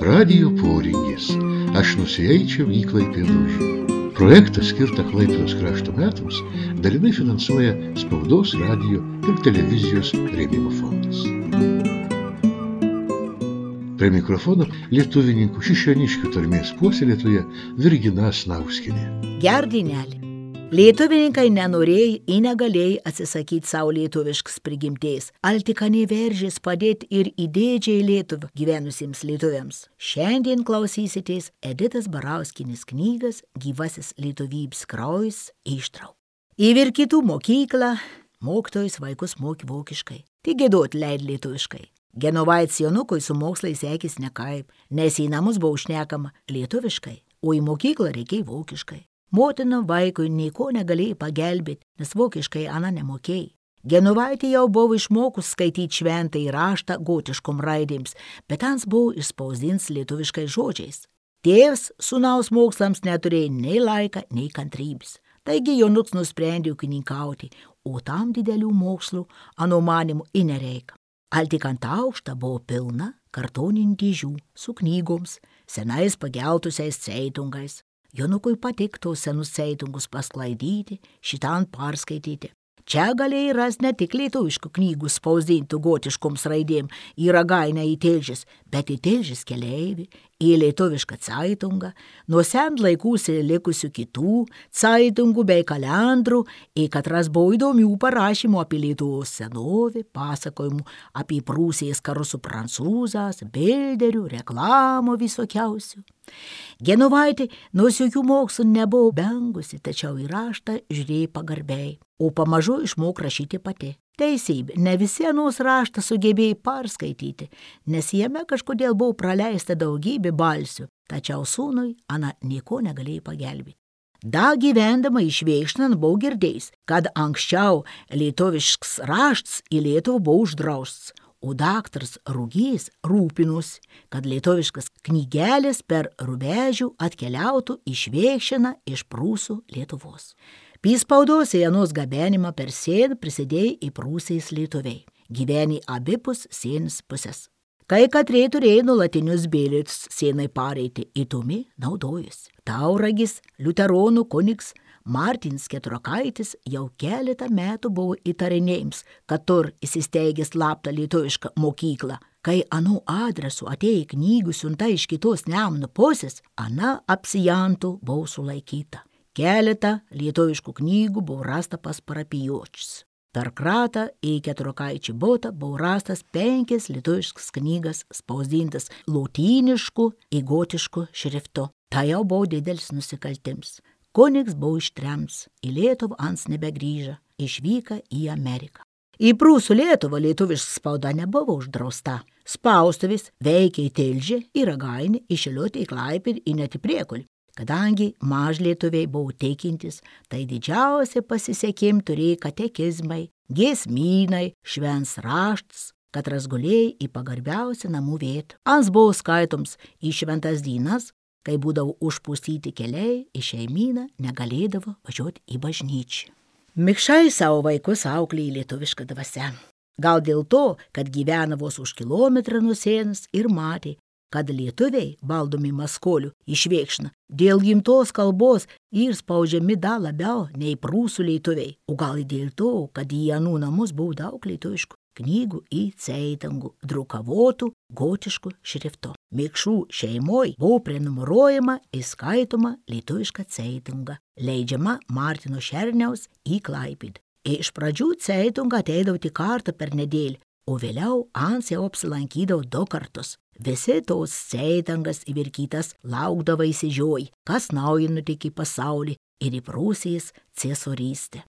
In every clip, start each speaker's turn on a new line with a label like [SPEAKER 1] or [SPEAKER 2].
[SPEAKER 1] Radijo poringis. Aš nusieičiau į Klaipėdą. Projektą skirtą Klaipėdos krašto metams dalinai finansuoja Spaudos, radijo ir televizijos rėmimo fondas. Prie mikrofono lietuvininkų Šišioniškių tarmės puoselėtoja Virgina Snauskienė.
[SPEAKER 2] Gerdinelį. Lietuvininkai nenorėjai ir negalėjai atsisakyti savo lietuviškas prigimties. Altikaniai veržės padėti ir įdėdžiai Lietuvą gyvenusiems lietuviams. Šiandien klausysitės Editos Barauskienės knygas Gyvasis lietuvybės kraujas ištraukų. Į Virkytų mokyklą mokytojus vaikus mokė vokiškai, tik giedot leid lietuviškai. Genovaitės Jonukui su mokslais sekės nekaip, nes į namus buvo šnekama lietuviškai, o į mokyklą reikėjo vokiškai. Motina vaikui nieko negalėjo pagelbėti, nes vokiškai ana nemokėjai. Genovaitė jau buvo išmokus skaityti šventąjį raštą gotiškom raidėms, bet ans buvo išspausdins lietuviškai žodžiais. Tėvas sūnaus mokslams neturėjo nei laiką, nei kantrybės. Taigi Jonuks nusprendė ūkininkauti, o tam didelių mokslų ano manimų ir nereika. Altikant aukštą buvo pilna kartoninių dėžių su knygoms, senais pageltusiais ceitungais. Jonukui patiktų senus ceitungus pasklaidyti, šitan perskaityti. Čia galėjai rasti ne tik lietuviškų knygų spausdintų gotiškoms raidėm į Ragainą į Tilžės, bet į Tilžės keleivį, į lietuvišką ceitungą, nuo sen laikų likusių kitų ceitungų bei kalendrų, į katras buvo įdomių parašymų apie Lietuvos senovę, pasakojimų apie Prūsijos karus su prancūzas, bilderių, reklamų visokiausių. Genovaitė nors jokių mokslų nebuvo bengusi, tačiau į raštą žiūrėjo pagarbiai, o pamažu išmok rašyti pati. Teisybė, ne visi anos raštą sugebėjo perskaityti, nes jame kažkodėl buvo praleista daugybė balsių, tačiau sūnui ana nieko negalėjo pagelbėti. Da gyvendama išveišnant buvo girdėjęs, kad anksčiau lietuviškas raštas į Lietuvą buvo uždraustas, o daktaras Rugys rūpinosi, kad lietuviškas knygelės per rubežių atkeliautų išveišina iš Prūsų Lietuvos. Spaudos į anos gabenimą per sieną prisidėjo į Prūsijos lietuviai, gyvenė abipus sienos pusės. Kai katrė turėjo nuolatinius bilietus sienai pareiti, įtumi naudojosi. Tauragis, liuteronų kunigs Martinas Keturakaitis jau keletą metų buvo įtarinėjams, kad tur įsisteigė slaptą lietuvišką mokyklą. Kai anų adresu atėjo knygų siunta iš kitos Nemuno pusės, ana apsijantų buvo sulaikyta. Keletą lietuviškų knygų buvo rasta pas parapijočius. Per kratą į Keturakaičio butą buvo rastas 5 lietuviškas knygas spausdintas lotynišku ir gotišku šriftu. Tai jau buvo didelis nusikaltims. Kunigs buvo ištrems, į Lietuvą ans nebegrįžo, išvyka į Ameriką. Į Prūsų Lietuvą lietuviška spauda nebuvo uždrausta. Spaustuvės veikė į Tilžę, į Ragainę, į Šilutę, į Klaipėdą ir net į Priekulį. Kadangi mažlietuviai buvo tikintis, tai didžiausia pasisekimą turėjo katekizmai, giesmynai, švents raštas, katras gulėjo į pagarbiausią namų vietą. Ans buvo skaitoms į šventas dienas, kai būdavo užpustyti keliai, į šeimyną negalėdavo važiuoti į bažnyčią. Mikšai savo vaikus auklėjo lietuvišką dvasią. Gal dėl to, kad gyvena vos už kilometrą nuo sienos ir matė, kad lietuviai, valdomi maskolių, išveikšna dėl gimtos kalbos ir spaudžiami dar labiau nei Prūsų lietuviai, o gal dėl to, kad į anų namus buvo daug lietuviškų knygų į ceitungų, drukavotų gotiškų šriftu. Mikšų šeimoj buvo prenumeruojama ir skaitoma lietuviška ceitunga, leidžiama Martino Šerniaus į Klaipėdą. Iš pradžių ceitunga ateidavo tik kartą per nedėlį, o vėliau ans jau apsilankydavo 2 kartus. Visi tos ceitungas įvirkytas laukdavo įsižioj, kas naujo nutikė į pasaulį ir į Prūsijos ciesorystę.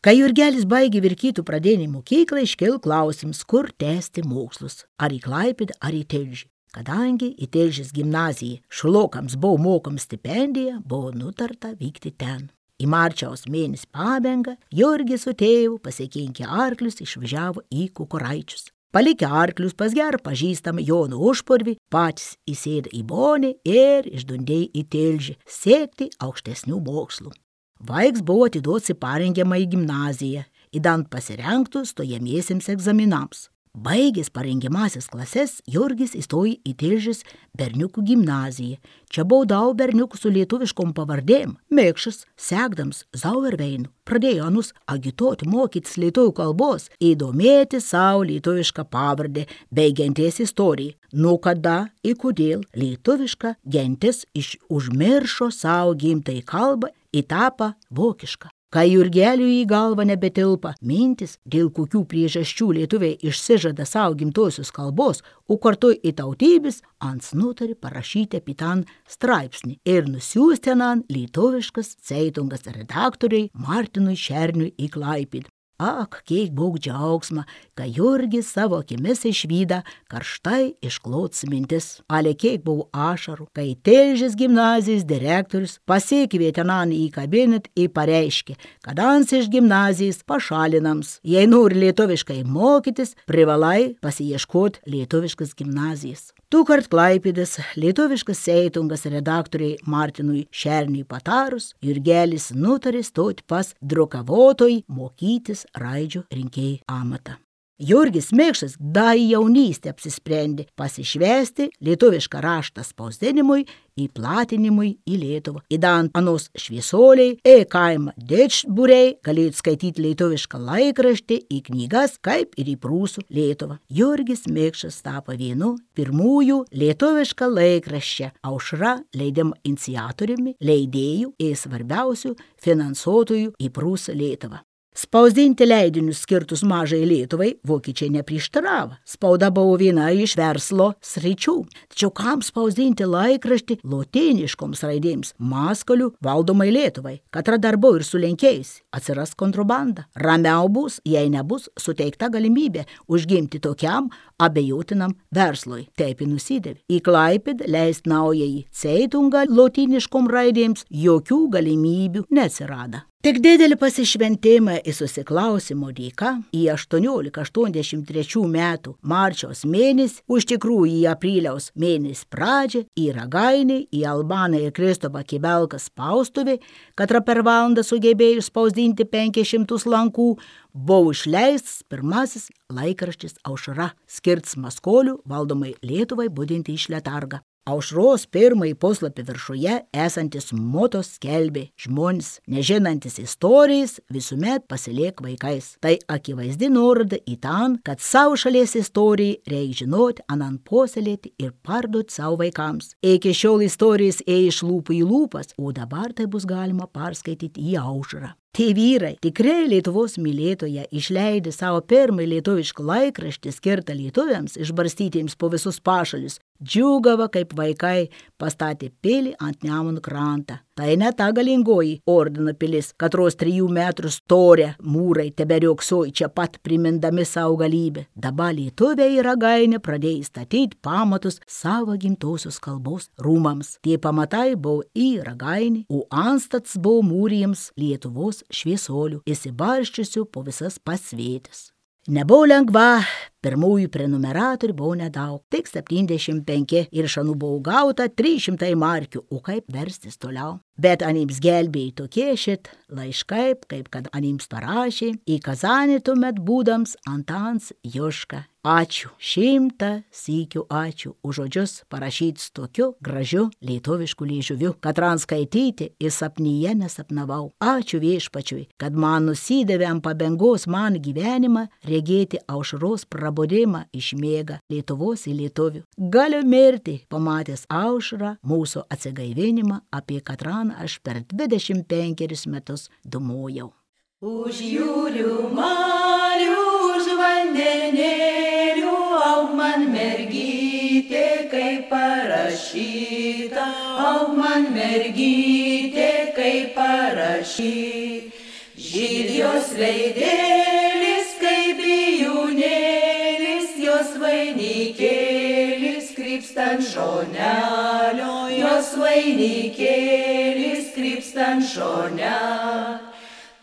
[SPEAKER 2] Kai Jurgelis baigė Virkytų pradinę mokyklą, iškilo klausimas, kur tęsti mokslus, ar į Klaipėdą, ar į Tilžę. Kadangi į Tilžės gimnaziją šulokams buvo mokama stipendija, buvo nutarta vykti ten. Į marčiaus mėnesį pabaigą Jurgis su tėvu pasikinkę arklius išvažiavo į Kukuraičius. Palikę arklius pas gerą pažįstamą Joną Užpurvį, patys įsėdo į bonį ir išdundėjo į Tilžę siekti aukštesnių mokslų. Vaiks buvo atiduotas į parengiamą į gimnaziją, įdant pasirengtų stojamiesiems egzaminams. Baigęs parengiamąsias klases, Jurgis įstojo į Tilžės berniukų gimnaziją. Čia buvo daug berniukų su lietuviškom pavardėm. Mėkšas, sekdams Zauerveinu, pradėjo anus agituoti mokytis lietuvių kalbos, įdomėti savo lietuvišką pavardę bei genties istoriją. Nuo kada ir kodėl lietuviška gentis užmiršo savo gimtąją kalbą ir tapo vokiška. Kai Jurgeliui į galvą nebetilpa mintis, dėl kokių priežasčių lietuviai išsižada savo gimtosios kalbos, o kartu į tautybės, ans nutarė parašyti apie ten straipsnį ir nusiųsti ten lietuviškas ceitungas redaktoriai Martinui Šerniui į Klaipėdą. Ak, kiek buvo džiaugsma, kai Jurgis savo akimis išvyda karštai išklots mintis. Ale kiek buvo ašarų, kai Tilžės gimnazijos direktorius pasikvietė ten į kabinetą ir pareiškė, kad ans iš gimnazijos pašalinams. Jei nori lietuviškai mokytis, privalai pasiieškoti lietuviškas gimnazijas. Tūkart Klaipėdos lietuviškas ceitungas redaktoriai Martinui Šerniui patarus, Jurgelis nutarė stoti pas drukavotojai mokytis raidžių rinkėjų amatą. Jurgis Mėkšas dar jaunystę apsisprendė pasišvesti lietuvišką raštą spausdinimui ir platinimui į Lietuvą. Įdant anos šviesoliai, kaimą dečburiai galėjo skaityti lietuvišką laikraštį į knygas, kaip ir į prūsų Lietuvą. Jurgis Mėkšas tapo vienu pirmųjų lietuvišką laikraščią Aušra leidimo iniciatoriumi, leidėjų ir svarbiausių finansuotojų į prūsų Lietuvą. Spausdinti leidinius skirtus mažai Lietuvai vokiečiai neprieštaravo. Spauda buvo viena iš verslo sričių. Tačiau kam spausdinti laikraštį lotyniškoms raidėms Maskolių valdomai Lietuvai? Katra dar buvo ir su lenkėjais. Atsiras kontrabanda. Ramiau bus, jei nebus suteikta galimybė užgimti tokiam abejotinam verslui. Taip ir nusidėvi. Į Klaipėdą leist naująjį ceitungą lotyniškom raidėms jokių galimybių neatsirado. Tik didelį pasišventimą ir susiklausimo dėka į 1883 metų marčiaus mėnesį, už tikrųjų į apriliaus mėnesį pradžią, į Ragainį, į Albaną ir Kristopą Kibelką spaustuvį, katra per valandą sugebėjo spausdinti 500 lankų, buvo išleistas pirmasis laikraštis Aušra, skirtas Maskolių valdomai Lietuvai budinti iš letargą. Aušros pirmąjį puslapį viršuje esantis motos skelbė: žmonės, nežinantis istorijas, visuomet pasiliek vaikais. Tai akivaizdi nuoroda į ten, kad savo šalies istoriją reikia žinoti, anan puoselėti ir parduoti savo vaikams. Iki šiol istorijas ėjo iš lūpų į lūpas, o dabar tai bus galima perskaityti į Aušrą. Tie vyrai, tikrai Lietuvos mylėtoje, išleidę savo pirmąjį lietuvišką laikraštį skirtą lietuviams išbarstytiems po visus pašalius, džiūgavo kaip vaikai pastatė pilį ant Nemuno krantą. Tai ne ta galingoji ordino pilis, katros 3 metrų storė mūrai teberioksojo čia pat primindami savo galybę. Dabar lietuviai į Ragainę pradėjo statyti pamatus savo gimtosios kalbos rūmams. Tie pamatai buvo į Ragainį, o anstats buvo mūrijams Lietuvos šviesolių, įsibarščiusių po visas pasvėtis. Nebuvo lengva, pirmųjų prenumeratorių buvo nedaug, tik 75 ir šanų buvo gauta 300 markių, o kaip verstis toliau. Bet anims gelbėjai tokie šit laiškai, kaip kad anims parašė, į Kazanį tuomet būdams Antans Juška. Ačiū, 100 sykių ačiū už žodžius parašytis tokiu gražiu lietuvišku liežuviu, kad ranskaityti ir sapnyje nesapnavau. Ačiū viešpačiui, kad man nusidavė ant pabengos man gyvenimą regėti Aušros prabudimą iš miega Lietuvos į lietuvių. Galiu mirti, pamatęs Aušrą, mūsų atsigaivinimą, apie katran aš per 25 metus dumojau.
[SPEAKER 3] Už jūrių marių, už vandenėlių, aug man mergytė, kaip parašyta, aug man mergytė, kaip parašyta. Žydi jos veidėlis, kaip bijūnėlis, jos vainikėlis, krypstant šonelio, jos vainikėlis, krypstant šonelio.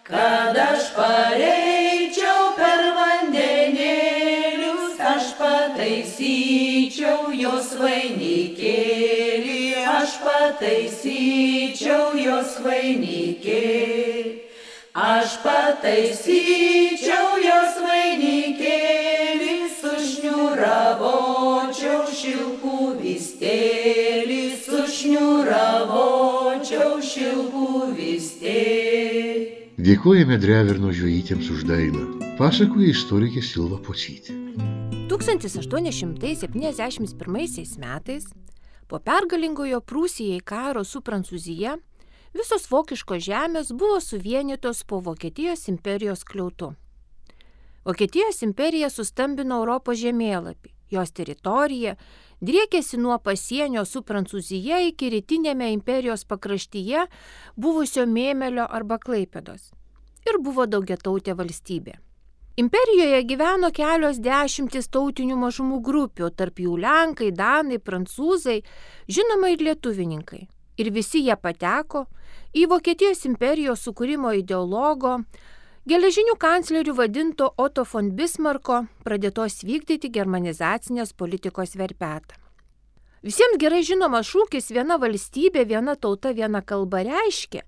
[SPEAKER 3] Kad aš pareičiau per vandenėlius, aš pataisyčiau jos vainikėlį, aš pataisyčiau jos vainikėlį, aš pataisyčiau jos vainikėlį su šilkų vystėlį, sušniuravočiau šilkų vystėlį.
[SPEAKER 1] Dėkojame Dreverno žvejytėms už dainą, pasakoja istorikė Silva Pocytė.
[SPEAKER 4] 1871 metais, po pergalingojo Prūsijai karo su Prancūzija, visos vokiškos žemės buvo suvienytos po Vokietijos imperijos skliautu. Vokietijos imperija sustambino Europos žemėlapį. Jos teritorija driekėsi nuo pasienio su Prancūzija iki rytinėme imperijos pakraštyje buvusio Mėmelio arba Klaipėdos ir buvo daugiatautė valstybė. Imperijoje gyveno kelios dešimtys tautinių mažumų grupių, tarp jų lenkai, danai, prancūzai, žinoma ir lietuvininkai. Ir visi jie pateko į Vokietijos imperijos sukūrimo ideologo, geležinių kanclerių vadinto Otto von Bismarcko pradėtos vykdyti germanizacinės politikos verpetą. Visiems gerai žinomas šūkis viena valstybė, viena tauta, viena kalba reiškia,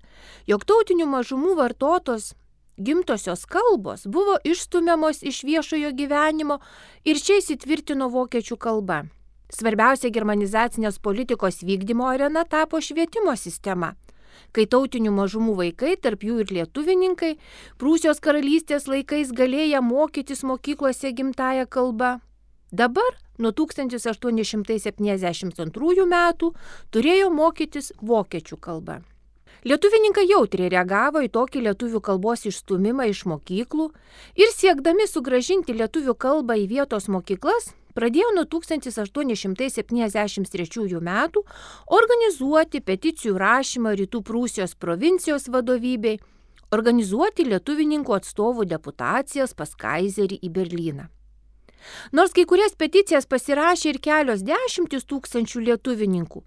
[SPEAKER 4] jog tautinių mažumų vartotos gimtosios kalbos buvo išstumiamos iš viešojo gyvenimo ir čia įsitvirtino vokiečių kalba. Svarbiausia germanizacinės politikos vykdymo arena tapo švietimo sistema, kai tautinių mažumų vaikai, tarp jų ir lietuvininkai, Prūsijos karalystės laikais galėję mokytis mokyklose gimtąją kalbą. Dabar, nuo 1872 metų, turėjo mokytis vokiečių kalba. Lietuvininkai jautriai reagavo į tokį lietuvių kalbos išstūmimą iš mokyklų ir siekdami sugrąžinti lietuvių kalbą į vietos mokyklas, pradėjo nuo 1873 metų organizuoti peticijų rašymą Rytų Prūsijos provincijos vadovybei, organizuoti lietuvininkų atstovų deputacijas pas kaizerį į Berlyną. Nors kai kurias peticijas pasirašė ir kelios dešimtys tūkstančių lietuvininkų,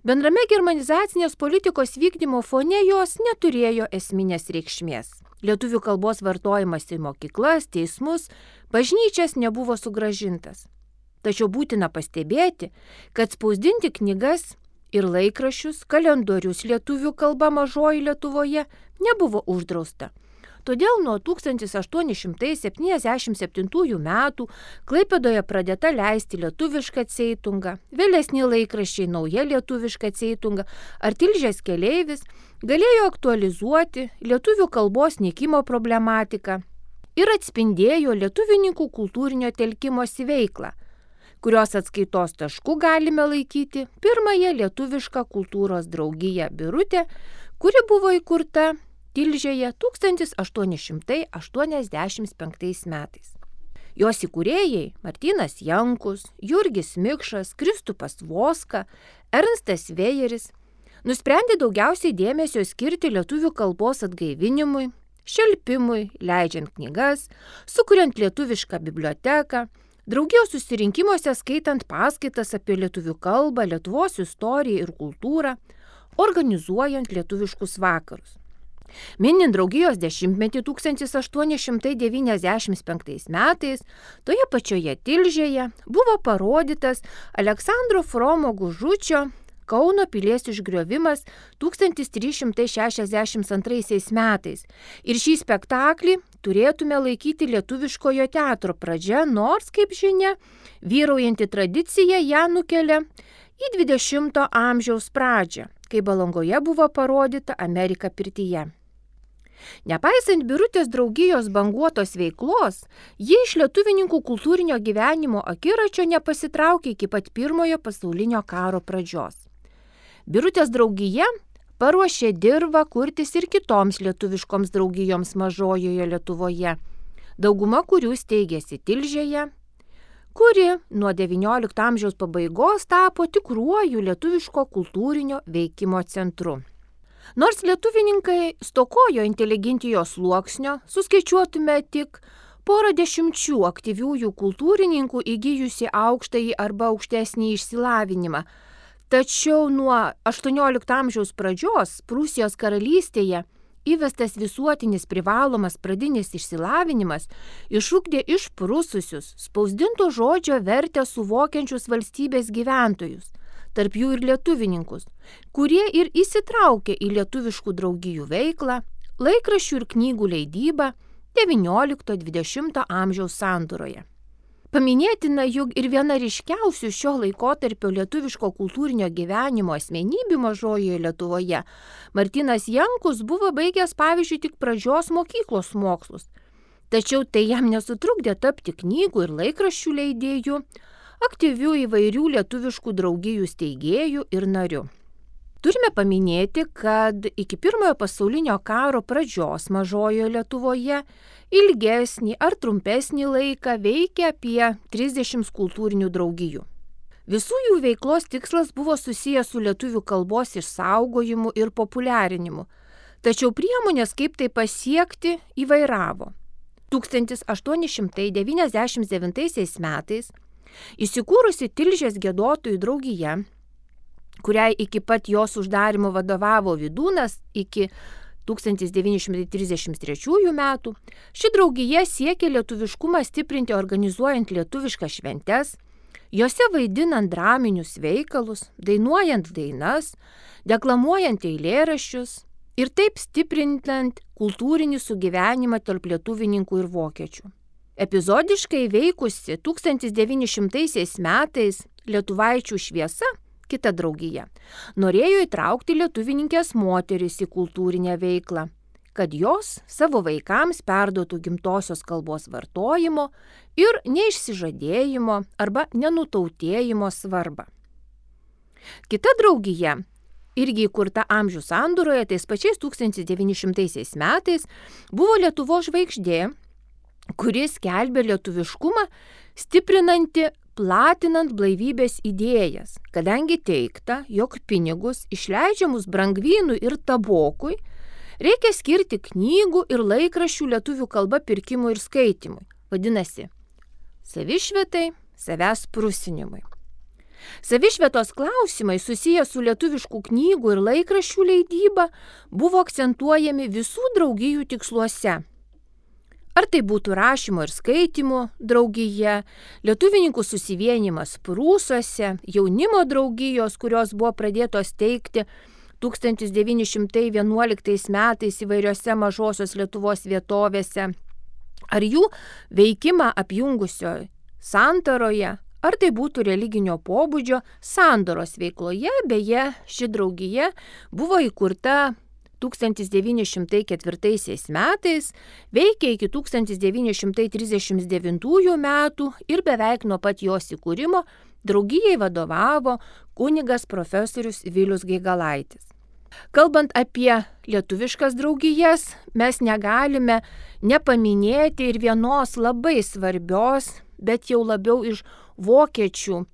[SPEAKER 4] bendrame germanizacinės politikos vykdymo fone jos neturėjo esminės reikšmės. Lietuvių kalbos vartojimas į mokyklas, teismus, bažnyčias nebuvo sugrąžintas. Tačiau būtina pastebėti, kad spausdinti knygas ir laikraščius, kalendorius lietuvių kalba Mažoji Lietuvoje nebuvo uždrausta. Todėl nuo 1877 metų Klaipėdoje pradėta leisti lietuvišką ceitungą, vėlesni laikraščiai Nauja lietuviška ceitunga ar Tilžės keleivis galėjo aktualizuoti lietuvių kalbos nykimo problematiką ir atspindėjo lietuvininkų kultūrinio telkimosi veiklą, kurios atskaitos tašku galime laikyti pirmąją lietuvišką kultūros draugiją Birutė, kuri buvo įkurta Tilžėje 1885 metais. Jos įkūrėjai Martynas Jankus, Jurgis Mikšas, Kristupas Voska, Ernstas Vėjeris nusprendė daugiausiai dėmesio skirti lietuvių kalbos atgaivinimui, šelpimui, leidžiant knygas, sukuriant lietuvišką biblioteką, draugijos susirinkimuose skaitant paskaitas apie lietuvių kalbą, Lietuvos istoriją ir kultūrą, organizuojant lietuviškus vakarus. Minint draugijos 10-metį 1895 metais, toje pačioje Tilžėje buvo parodytas Aleksandro Fromo Gužučio Kauno pilies išgriovimas 1362 metais. Ir šį spektaklį turėtume laikyti lietuviškojo teatro pradžia, nors, kaip žinia, vyraujanti tradicija ją nukelia į 20 amžiaus pradžią, kai Balangoje buvo parodyta Amerika pirtyje. Nepaisant Birutės draugijos banguotos veiklos, ji iš lietuvininkų kultūrinio gyvenimo akiračio nepasitraukė iki pat Pirmojo pasaulinio karo pradžios. Birutės draugija paruošė dirvą kurtis ir kitoms lietuviškoms draugijoms Mažojoje Lietuvoje, dauguma kurių steigėsi Tilžėje, kuri nuo XIX amžiaus pabaigos tapo tikruoju lietuviško kultūrinio veikimo centru. Nors lietuvininkai stokojo inteligentijos sluoksnio, suskaičiuotume tik porą dešimčių aktyviųjų kultūrininkų įgijusi aukštąjį arba aukštesnį išsilavinimą. Tačiau nuo XVIII amžiaus pradžios Prūsijos karalystėje įvestas visuotinis privalomas pradinis išsilavinimas išugdė išprususius, spausdinto žodžio vertę suvokiančius valstybės gyventojus, tarp jų ir lietuvininkus, kurie ir įsitraukė į lietuviškų draugijų veiklą, laikraščių ir knygų leidybą XIX-XX amžiaus sandūroje. Paminėtina, jog ir viena ryškiausių šio laikotarpio lietuviško kultūrinio gyvenimo asmenybių Mažojoje Lietuvoje, Martynas Jankus, buvo baigęs pavyzdžiui tik pradžios mokyklos mokslus. Tačiau tai jam nesutrukdė tapti knygų ir laikraščių leidėjų, aktyvių įvairių lietuviškų draugijų steigėjų ir narių. Turime paminėti, kad iki Pirmojo pasaulinio karo pradžios Mažojoje Lietuvoje ilgesnį ar trumpesnį laiką veikia apie 30 kultūrinių draugijų. Visų jų veiklos tikslas buvo susijęs su lietuvių kalbos išsaugojimu ir populiarinimu, tačiau priemonės, kaip tai pasiekti, įvairavo. 1899 metais įsikūrusi Tilžės giedotojų draugija, kuriai iki pat jos uždarimo vadovavo Vydūnas iki 1933 metų, ši draugija siekė lietuviškumą stiprinti organizuojant lietuviškas šventes, jose vaidinant draminius veikalus, dainuojant dainas, deklamuojant eilėraščius ir taip stiprinant kultūrinį sugyvenimą tarp lietuvininkų ir vokiečių. Epizodiškai veikusi 1900 metais Lietuvaičių šviesa, kita draugija, norėjo įtraukti lietuvininkės moteris į kultūrinę veiklą, kad jos savo vaikams perduotų gimtosios kalbos vartojimo ir neišsižadėjimo arba nenutautėjimo svarbą. Kita draugija, irgi įkurta amžių sandūroje, tais pačiais 1900 metais, buvo Lietuvos žvaigždė, kuris skelbė lietuviškumą, stiprinanti platinant blaivybės idėjas, kadangi teigta, jog pinigus išleidžiamus brangvynui ir tabokui reikia skirti knygų ir laikraščių lietuvių kalba pirkimui ir skaitimui, vadinasi, savišvietai, savęs prusinimui. Savišvietos klausimai susiję su lietuviškų knygų ir laikraščių leidyba buvo akcentuojami visų draugijų tiksluose. Ar tai būtų rašymo ir skaitymų draugija, lietuvininkų susivienimas Prūsuose, jaunimo draugijos, kurios buvo pradėtos teikti 1911 metais įvairiose mažosios Lietuvos vietovėse, ar jų veikimą apjungusio santaroje, ar tai būtų religinio pobūdžio sandoros veikloje, beje, ši draugija buvo įkurta 1904 metais, veikė iki 1939 metų ir beveik nuo pat jos įkūrimo draugijai vadovavo kunigas profesorius Vilius Gaigalaitis. Kalbant apie lietuviškas draugijas, mes negalime nepaminėti ir vienos labai svarbios, bet jau labiau iš vokiečių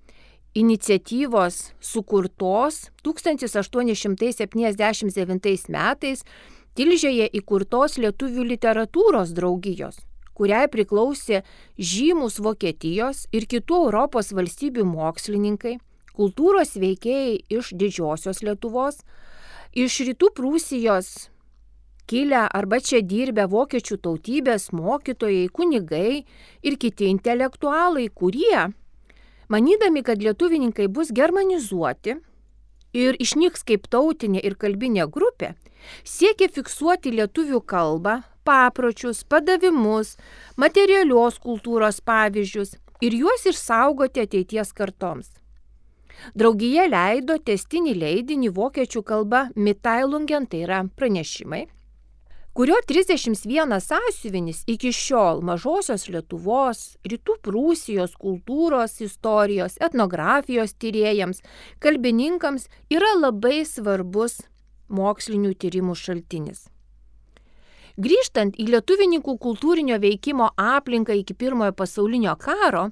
[SPEAKER 4] iniciatyvos sukurtos 1879 metais Tilžėje įkurtos lietuvių literatūros draugijos, kuriai priklausė žymus Vokietijos ir kitų Europos valstybių mokslininkai, kultūros veikėjai iš Didžiosios Lietuvos, iš Rytų Prūsijos kilę arba čia dirbę vokiečių tautybės mokytojai, kunigai ir kiti intelektualai, kurie, manydami, kad lietuvininkai bus germanizuoti ir išnyks kaip tautinė ir kalbinė grupė, siekė fiksuoti lietuvių kalbą, papročius, padavimus, materialios kultūros pavyzdžius ir juos išsaugoti ateities kartoms. Draugija leido tęstinį leidinį vokiečių kalba Mitteilungen, tai yra pranešimai, kurio 31 sąsiuvinis iki šiol Mažosios Lietuvos, Rytų Prūsijos kultūros, istorijos, etnografijos tyrėjams, kalbininkams yra labai svarbus mokslinių tyrimų šaltinis. Grįžtant į lietuvininkų kultūrinio veikimo aplinką iki Pirmojo pasaulinio karo,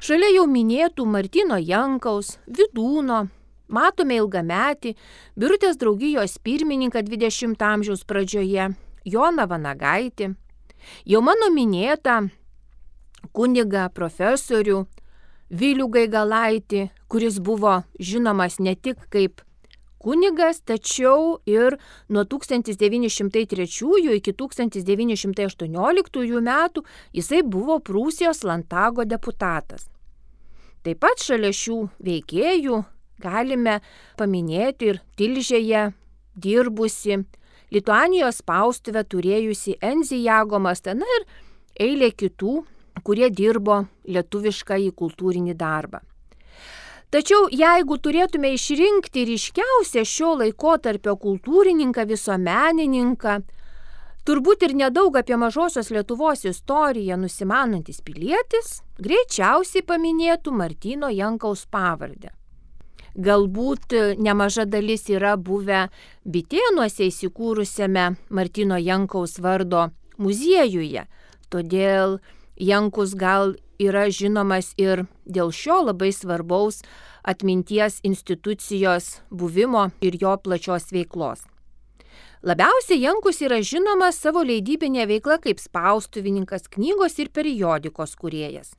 [SPEAKER 4] šalia jau minėtų Martyno Jankaus, Vydūno, matome ilgametį Birutės draugijos pirmininką 20 amžiaus pradžioje, Joną Vanagaitį, jau mano minėtą kunigą profesorių Vilių Gaigalaitį, kuris buvo žinomas ne tik kaip kunigas, tačiau ir nuo 1903 iki 1918 metų jisai buvo Prūsijos Landtago deputatas. Taip pat šalia šių veikėjų galime paminėti ir Tilžėje dirbusi, Lituanijos spaustuvę turėjusi Enzi Jagomas, na ir eilė kitų kurie dirbo lietuviškąjį kultūrinį darbą. Tačiau jeigu turėtume išrinkti ryškiausią šio laikotarpio kultūrininką, visuomenininką, turbūt ir nedaug apie mažosios Lietuvos istoriją nusimanantis pilietis, greičiausiai paminėtų Martyno Jankaus pavardę. Galbūt nemaža dalis yra buvę Bitėnuose įsikūrusiame Martyno Jankaus vardo muziejuje, todėl Jankus gal yra žinomas ir dėl šio labai svarbaus atminties institucijos buvimo ir jo plačios veiklos. Labiausiai Jankus yra žinomas savo leidybinė veikla kaip spaustuvininkas, knygos ir periodikos kūrėjas.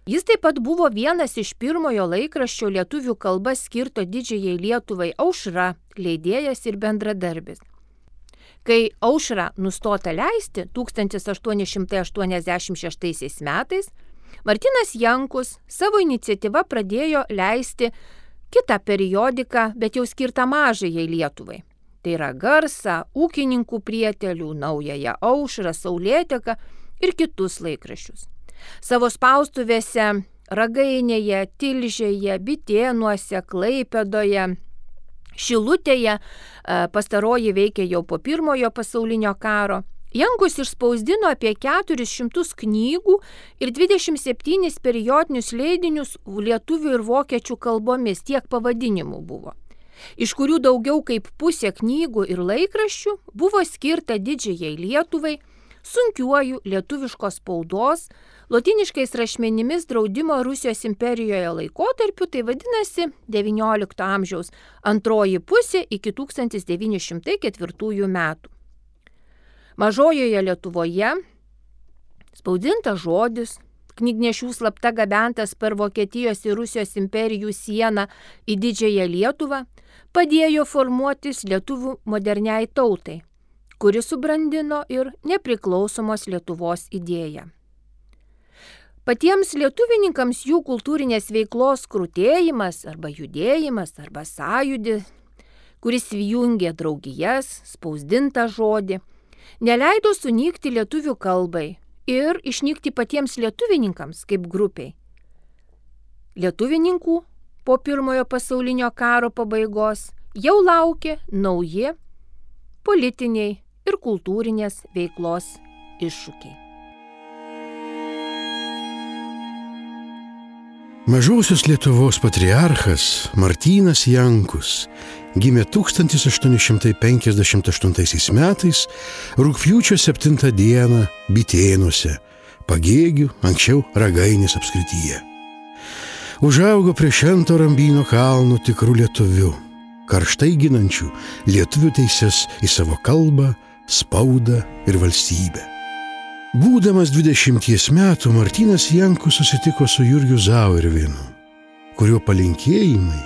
[SPEAKER 4] Jis taip pat buvo vienas iš pirmojo laikraščio lietuvių kalba skirto Didžiajai Lietuvai Aušra, leidėjas ir bendradarbis. Kai Aušra nustota leisti 1886 metais, Martynas Jankus savo iniciatyvą pradėjo leisti kitą periodiką, bet jau skirtą Mažajai Lietuvai. Tai yra Garsą, Ūkininkų prietelių, Naująją Aušrą, Saulėteką ir kitus laikraščius. Savo spaustuvėse Ragainėje, Tilžėje, Bitėnuose, Klaipėdoje, Šilutėje, pastaroji veikė jau po Pirmojo pasaulinio karo, Jankus išspausdino apie 400 knygų ir 27 periodinius leidinius lietuvių ir vokiečių kalbomis, tiek pavadinimų buvo, iš kurių daugiau kaip pusė knygų ir laikraščių buvo skirta Didžiajai Lietuvai, sunkiuoju lietuviškos spaudos, lotyniškais rašmenimis draudimo Rusijos imperijoje laikotarpiu, tai vadinasi XIX amžiaus antroji pusė iki 1904 metų. Mažojoje Lietuvoje spausdintas žodis, knygnešių slapta gabentas per Vokietijos ir Rusijos imperijų sieną į Didžiąją Lietuvą, padėjo formuotis lietuvių moderniai tautai, kuri subrandino ir nepriklausomos Lietuvos idėją. Patiems lietuvininkams jų kultūrinės veiklos krutėjimas arba judėjimas arba sąjūdis, kuris jungė draugijas, spausdintą žodį, neleido sunykti lietuvių kalbai ir išnykti patiems lietuvininkams kaip grupiai. Lietuvininkų po Pirmojo pasaulinio karo pabaigos jau laukė nauji politiniai ir kultūrinės veiklos iššūkiai.
[SPEAKER 1] Mažosios Lietuvos patriarchas Martynas Jankus gimė 1858 metais rugpjūčio 7 dieną Bitėnuose, Pagėgių, anksčiau Ragainės apskrityje. Užaugo prie Švento Rambyno kalno tikrų lietuvių, karštai ginančių lietuvių teises į savo kalbą, spaudą ir valstybę. Būdamas 20 metų, Martynas Jankus susitiko su Jurgiu Zauerveinu, kurio palinkėjimai: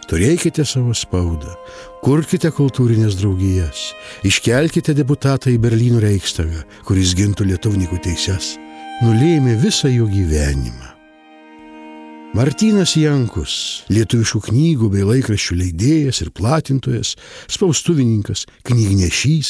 [SPEAKER 1] turėkite savo spaudą, kurkite kultūrinės draugijas, iškelkite deputatą į Berlyno Reichstagą, kuris gintų lietuvininkų teises, nulėmė visą jo gyvenimą. Martynas Jankus, lietuviškų knygų bei laikraščių leidėjas ir platintojas, spaustuvininkas, knygnešys,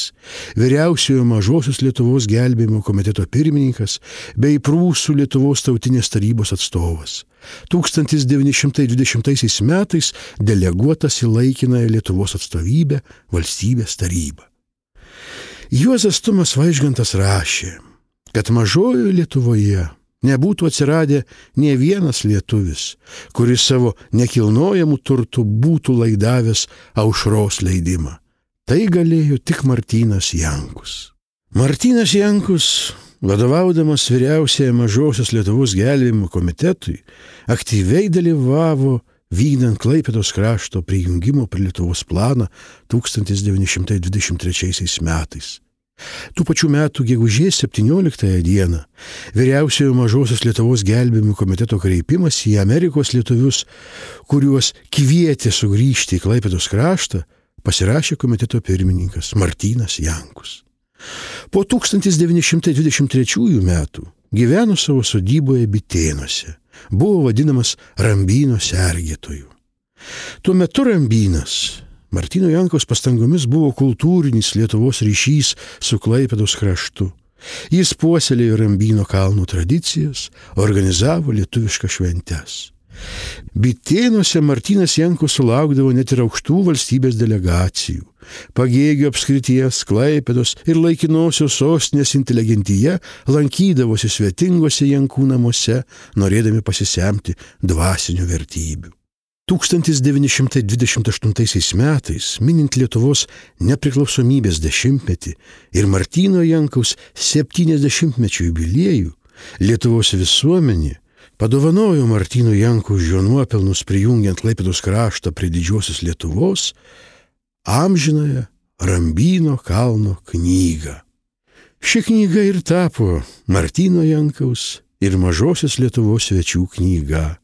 [SPEAKER 1] vyriausiojo Mažosios Lietuvos gelbėjimo komiteto pirmininkas bei Prūsų Lietuvos tautinės tarybos atstovas. 1920 metais deleguotas į laikinąją Lietuvos atstovybę Valstybės tarybą. Juozas Tumas Vaižgantas rašė, kad Mažojoje Lietuvoje nebūtų atsiradę nė vienas lietuvis, kuris savo nekilnojamų turtų būtų laidavęs Aušros leidimą. Tai galėjo tik Martynas Jankus. Martynas Jankus, vadovaudamas vyriausiajai Mažosios Lietuvos gelbėjimo komitetui, aktyviai dalyvavo vykdant Klaipėdos krašto prijungimo prie Lietuvos planą 1923 metais. Tų pačių metų gegužės 17 dieną vyriausiojo Mažosios Lietuvos gelbėjimo komiteto kreipimas į Amerikos lietuvius, kuriuos kvietė sugrįžti į Klaipėdos kraštą, pasirašė komiteto pirmininkas Martynas Jankus. Po 1923 metų gyveno savo sodyboje Bitėnuose, buvo vadinamas Rambyno sergėtoju. Tuo metu Rambynas Martyno Jankaus pastangomis buvo kultūrinis Lietuvos ryšys su Klaipėdos kraštu.
[SPEAKER 5] Jis puoselėjo Rambyno kalnų tradicijas, organizavo lietuviškas šventes. Bitėnuose Martynas Jankus sulaukdavo net ir aukštų valstybės delegacijų. Pagėgių apskrities, Klaipėdos ir laikinosios sostinės inteligentija lankydavosi svetinguose Jankų namuose, norėdami pasisemti dvasinių vertybių. 1928 metais, minint Lietuvos nepriklausomybės 10-metį ir Martyno Jankaus 70-mečio jubiliejų, Lietuvos visuomenė padovanojo Martyno Jankaus už jo nuopelnus prijungiant Klaipėdos kraštą prie didžiosios Lietuvos amžinąją Rambyno kalno knygą. Ši knyga ir tapo Martyno Jankaus ir mažosios Lietuvos svečių knyga.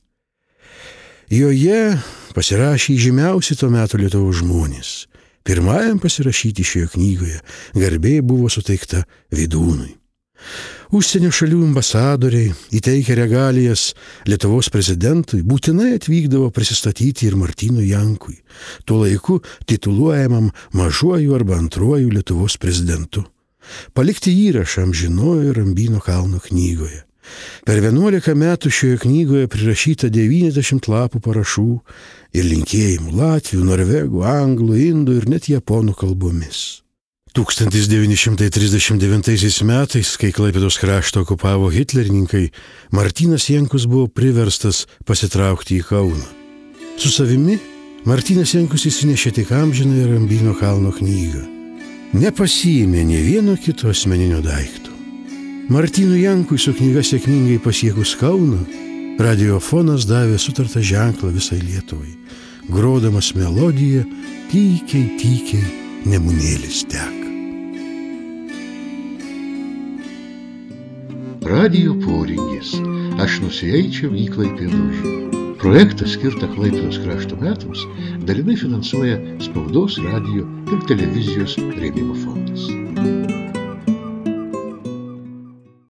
[SPEAKER 5] Joje pasirašė žymiausi to meto Lietuvos žmonės. Pirmajam pasirašyti šioje knygoje garbė buvo suteikta Vydūnui. Užsienio šalių ambasadoriai, įteikę regalijas Lietuvos prezidentui, būtinai atvykdavo prisistatyti ir Martynui Jankui, tuo laiku tituluojamam mažuoju arba antruoju Lietuvos prezidentu. Palikti įrašą amžinojo Rambyno kalno knygoje. Per 11 metų šioje knygoje prirašyta 90 lapų parašų ir linkėjimų latvių, norvegų, anglų, indų ir net japonų kalbomis. 1939 metais, kai Klaipėdos kraštą okupavo hitlerininkai, Martynas Jankus buvo priverstas pasitraukti į Kauną. Su savimi Martynas Jankus įsinešė tik amžinąją Rambyno kalno knygą. Nepasiėmė nė vieno kito asmeninio daikto. Martynui Jankui su knyga sėkmingai pasiekus Kauną, radiofonas davė sutartą ženklą visai Lietuvai, grodamas melodiją tykiai, tykiai Nemunėlis teka.
[SPEAKER 1] Radijo poringis. Aš nusieičiau į Klaipėdą. Projektą skirtą Klaipėdos krašto metams dalinai finansuoja Spaudos, radijo ir televizijos rėmimo fondas.